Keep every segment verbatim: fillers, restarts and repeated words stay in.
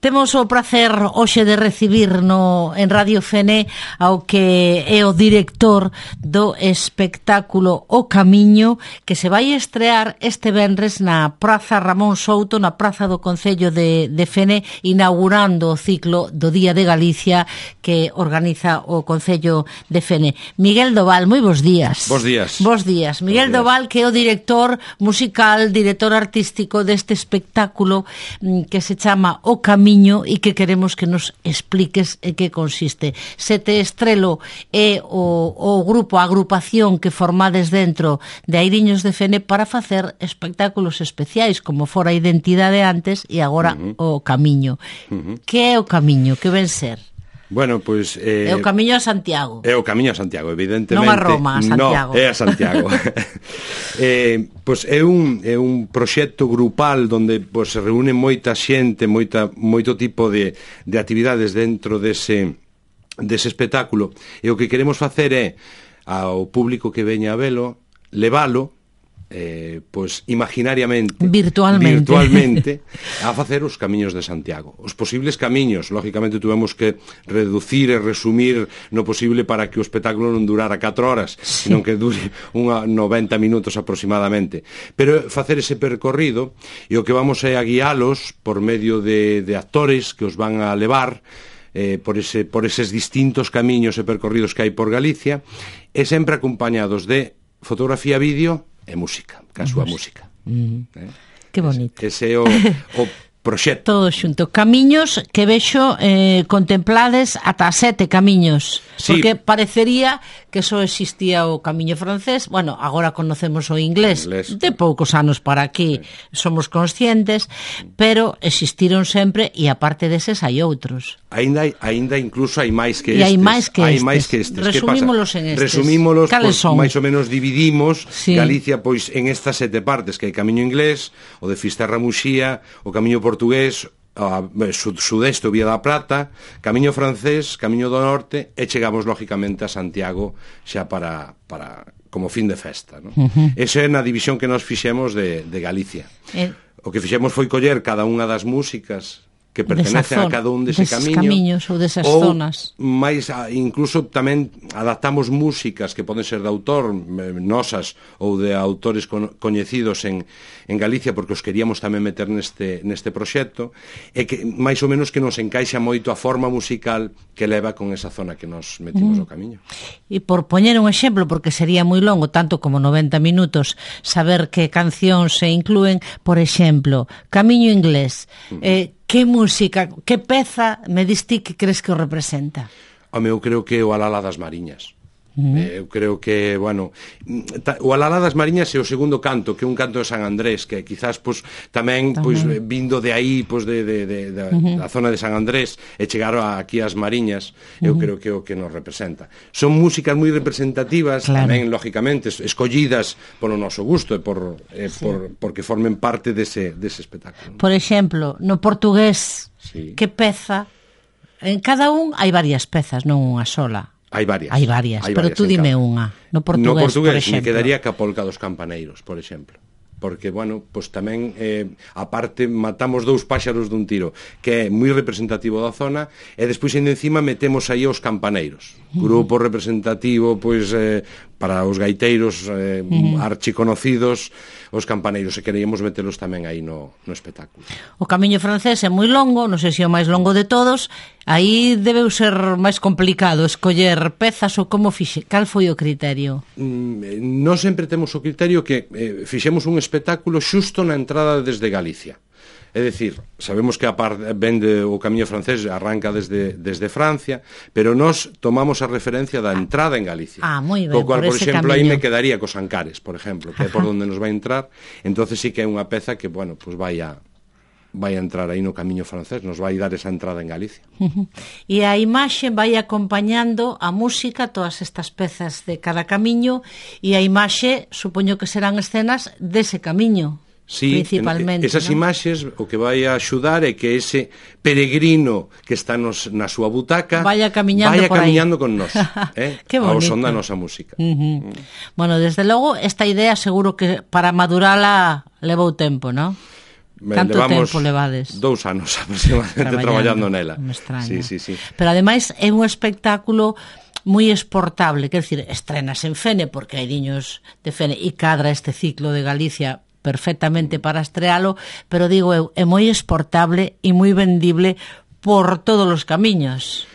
Temos o prazer hoxe de recibir no, en Radio Fene ao que é o director do espectáculo O Camiño, que se vai estrear este venres na Praza Ramón Souto, na Praza do Concello de, de Fene, inaugurando o ciclo do Día de Galicia que organiza o Concello de Fene. Miguel Doval, moi bons días. Bos días. Bos días. Miguel días. Doval, que é o director musical, director artístico deste espectáculo que se chama O Camiño, e que queremos que nos expliques en que consiste. Sete Estrelo é o, o grupo, a agrupación que formades dentro de Airiños de Fene para facer espectáculos especiais, como fora a Identidade antes e agora uh-huh. O Camiño. Uh-huh. Que é O Camiño? Que ven ser? Bueno, pois... Eh, é o Camiño a Santiago. É o Camiño a Santiago, evidentemente. Non a Roma, a Santiago. No, é a Santiago. eh, pois é un, é un proxecto grupal onde pois, se reúne moita xente, moita, moito tipo de, de actividades dentro dese, dese espectáculo. E o que queremos facer é ao público que veña a velo, levalo, Eh, pois imaginariamente virtualmente, virtualmente a facer os camiños de Santiago, os posibles camiños. Lógicamente tuvemos que reducir e resumir no posible para que o espectáculo non durara catro horas, sí. Senón que dure unha noventa minutos aproximadamente, pero facer ese percorrido, e o que vamos é a guialos por medio de, de actores que os van a levar Eh, por, ese, por eses distintos camiños e percorridos que hai por Galicia, e sempre acompañados de fotografía, vídeo e música, ca súa música. Mm. Eh? Que bonito. Ese é o, o proxecto. Todo xunto. Camiños que vexo eh, contemplades ata sete camiños. Sí. Porque parecería que só existía o camiño francés. Bueno, agora conocemos o inglés. inglés. De poucos anos para aquí sí. Somos conscientes, pero existiron sempre e aparte deses hai outros. Ainda, ainda incluso hai máis que estes. E hai máis que hai estes. Máis que estes. Resumímolos en estes. Resumímolos, Cales son? Máis ou menos dividimos sí. Galicia pois en estas sete partes, que hai camiño inglés, o de Fisterra Muxía, o camiño portugués, a sud sudeste, o Vía da Plata, camiño francés, camiño do norte, e chegamos lógicamente a Santiago xa para, para como fin de festa, ¿no? Uh-huh. Esa é na división que nos fixemos de, de Galicia. Eh... O que fixemos foi coller cada unha das músicas que pertenecen a cada un dese camiño, camiños ou desas ou zonas. Mais, incluso tamén adaptamos músicas que poden ser de autor, nosas, ou de autores con, coñecidos en, en Galicia, porque os queríamos tamén meter neste, neste proxecto, e que máis ou menos que nos encaixa moito a forma musical que leva con esa zona que nos metimos mm. o camiño. E por poñer un exemplo, porque sería moi longo, tanto como noventa minutos, saber que cancións se inclúen, por exemplo, Camiño Inglés, mm. eh, que música, que peza me diste que crees que o representa? Home, eu creo que o Alala das Mariñas. Uh-huh. eh, eu creo que, bueno, o Alala das Mariñas é o segundo canto, que é un canto de San Andrés, que quizás pues, tamén, tamén. Pues, vindo de aí, pues, de, de, de, de, uh-huh. da zona de San Andrés, e chegar aquí ás Mariñas, eu uh-huh. creo que é o que nos representa. Son músicas moi representativas, claro. Tamén, lógicamente, escollidas polo noso gusto, e por, eh, sí. por, porque formen parte dese, dese espectáculo. Por exemplo, no portugués, sí. Que peza? En cada un hai varias pezas, non unha sola. Hai varias. Hai varias, hai pero varias tú dime unha. No portugués, no portugués por exemplo. me quedaría ca Polca dos Campaneiros, por exemplo. Porque, bueno, pues tamén, eh, aparte, matamos dous páxaros dun tiro, que é moi representativo da zona, e despois, ainda encima, metemos aí os campaneiros. Grupo representativo, pois, eh, para os gaiteiros eh, uh-huh. archiconocidos, os campaneiros, e queríamos metelos tamén aí no, no espectáculo. O camiño francés é moi longo, non sei se é o máis longo de todos, aí debeu ser máis complicado escoller pezas, ou como fixe, cal foi o criterio? Mm, non sempre temos o criterio que eh, fixemos un espectáculo xusto na entrada desde Galicia. É dicir, sabemos que a par vende o camiño francés, arranca desde, desde Francia, pero nós tomamos a referencia da entrada en Galicia. Ah, moi ben, co cual, por, por exemplo, camiño. aí me quedaría cos Ancares, por exemplo, que é por onde nos vai entrar. Entonces sí que é unha peza que, bueno, pues vai a vai a entrar aí no camiño francés, nos vai dar esa entrada en Galicia. Uh-huh. E a imaxe vai acompañando a música, todas estas pezas de cada camiño, e a imaxe, supoño que serán escenas dese camiño. Sí, principalmente, esas ¿no? imaxes o que vai a axudar é que ese peregrino que está nos, na súa butaca vaya camiñando, vaya por camiñando aí. con nós, eh? ao son da nosa música. Uh-huh. Mm. Bueno, desde logo, esta idea seguro que para madurala levou tempo, ¿no? Canto levamos tempo levades? Dous anos aproximadamente traballando, traballando nela. Me extraña. Sí, sí, sí. Pero ademais é un espectáculo moi exportable, quer dizer, estrenas en Fene porque hai niños de Fene e cadra este ciclo de Galicia perfectamente para estrealo, pero digo eu, é moi exportable e moi vendible por todos os camiños.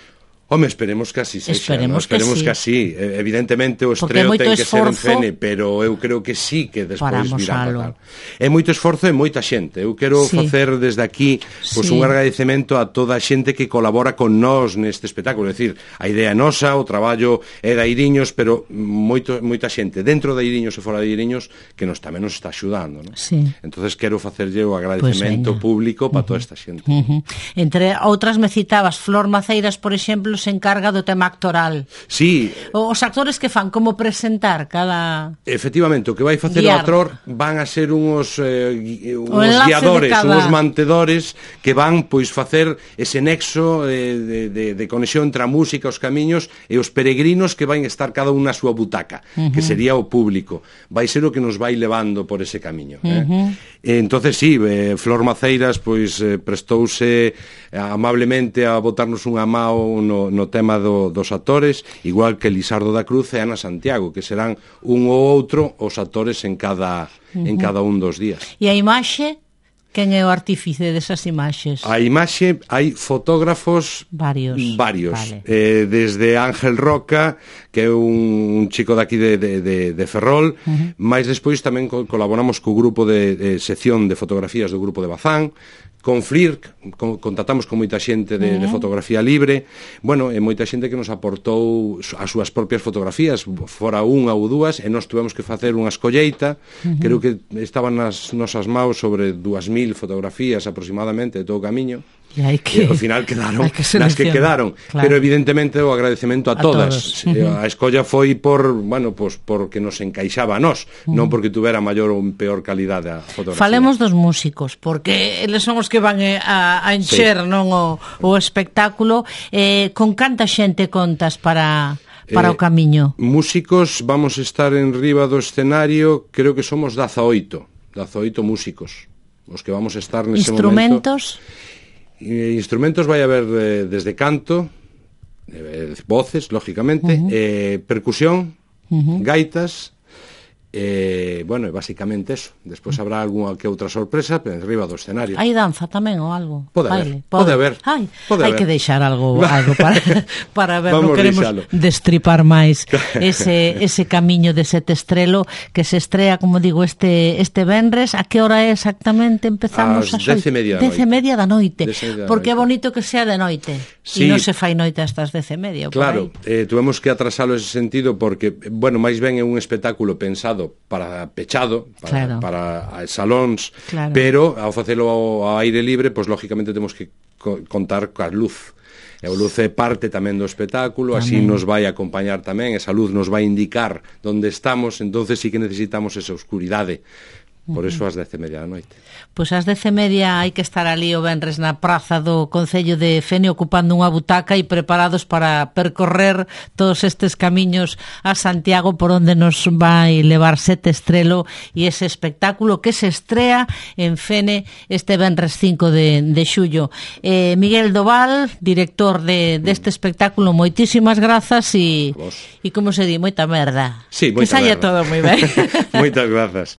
Home, esperemos que así sexa, esperemos, no? esperemos que, que, sí. que así. Evidentemente o estreo ten que ser en Fene, pero eu creo que sí que despois virá para tal. É moito esforzo e moita xente. Eu quero sí. facer desde aquí pois, sí. un agradecemento a toda a xente que colabora con nós neste espectáculo. É dicir, a idea é nosa, o traballo é da Iriños, pero moito, moita xente dentro da Iriños e fora de Iriños que nos tamén nos está axudando. ¿No? Sí. Entonces quero facerlle o agradecemento pues público para uh -huh. toda esta xente. Uh -huh. Entre outras me citabas Flor Maceiras, por exemplo, se encarga do tema actoral. Sí. Os actores que fan como presentar cada... Efectivamente, o que vai facer guiar. O actor van a ser uns eh, uns guiadores, cada... uns mantedores que van pois facer ese nexo eh, de, de, de conexión entre a música, os camiños e os peregrinos que van estar cada un na súa butaca, uh -huh. que sería o público. Vai ser o que nos vai levando por ese camiño. Eh? Uh -huh. E, entonces, sí, eh, Flor Maceiras pois eh, prestouse amablemente a botarnos unha mao no, no tema Do, dos actores, igual que Lisardo da Cruz e Ana Santiago, que serán un ou outro os actores en cada, uh -huh. en cada un dos días. E a imaxe? Quen é o artífice desas imaxes? A imaxe, hai fotógrafos varios, varios. Vale. Eh, desde Ángel Roca, que é un, un chico daqui de, de, de, de Ferrol, uh -huh. máis despois tamén co colaboramos co grupo de, de sección de fotografías do grupo de Bazán, con Flirc, con, contactamos con moita xente de, uh -huh. de fotografía libre, bueno, e moita xente que nos aportou as súas propias fotografías, fora unha ou dúas, e nós tuvemos que facer unha escolleita, uh -huh. creo que estaban nas nosas maus sobre dúas mil fotografías aproximadamente de todo o camiño, e, hai que, e ao final quedaron que nas que quedaron, claro. Pero evidentemente o agradecemento a, a todas. Uh -huh. A escolla foi por, bueno, pues porque nos encaixaba a nós, uh -huh. non porque tuvera maior ou peor calidade a fotografía. Falemos dos músicos, porque eles son os que van a, a encher, sí. non o, o espectáculo. Eh, con canta xente contas para... para eh, o camiño? Músicos, vamos a estar en riba do escenario, creo que somos dezaoito músicos os que vamos a estar nese instrumentos? Momento. Instrumentos? Instrumentos vai haber eh, desde canto, eh, voces, lógicamente, uh -huh. eh, percusión, uh -huh. gaitas, eh, bueno, basicamente eso. Despois habrá algunha que outra sorpresa pero arriba do escenario. Hai danza tamén ou algo? Pode haber, pode haber. Hai, pode hai haber. que deixar algo, algo para, para ver, non queremos deixalo. Destripar máis ese, ese camiño de Sete Estrelo que se estrea, como digo, este este venres. A que hora é exactamente? Empezamos as dez e media da noite. Dez e media da noite. Porque noite. É bonito que sea de noite. Sí. E non se fai noite hasta as dez e media. Claro, eh, tuvemos que atrasalo ese sentido porque, bueno, máis ben é un espectáculo pensado para pechado, para, claro. para salóns, claro. Pero ao facelo ao, ao aire libre, pois lógicamente temos que co contar coa luz. E a luz é parte tamén do espectáculo, tamén. Así nos vai acompañar tamén, esa luz nos vai indicar onde estamos, entonces sí que necesitamos esa oscuridade. Por eso ás dez e media da noite. Pois ás dez e media hai que estar ali o venres na praza do Concello de Fene ocupando unha butaca e preparados para percorrer todos estes camiños a Santiago por onde nos vai levar Sete Estrelo e ese espectáculo que se estrea en Fene este venres cinco de, de xullo. Eh, Miguel Doval, director de deste espectáculo, moitísimas grazas e, e como se di, moita merda. Sí, moita que saia merda. todo moi ben. Moitas grazas.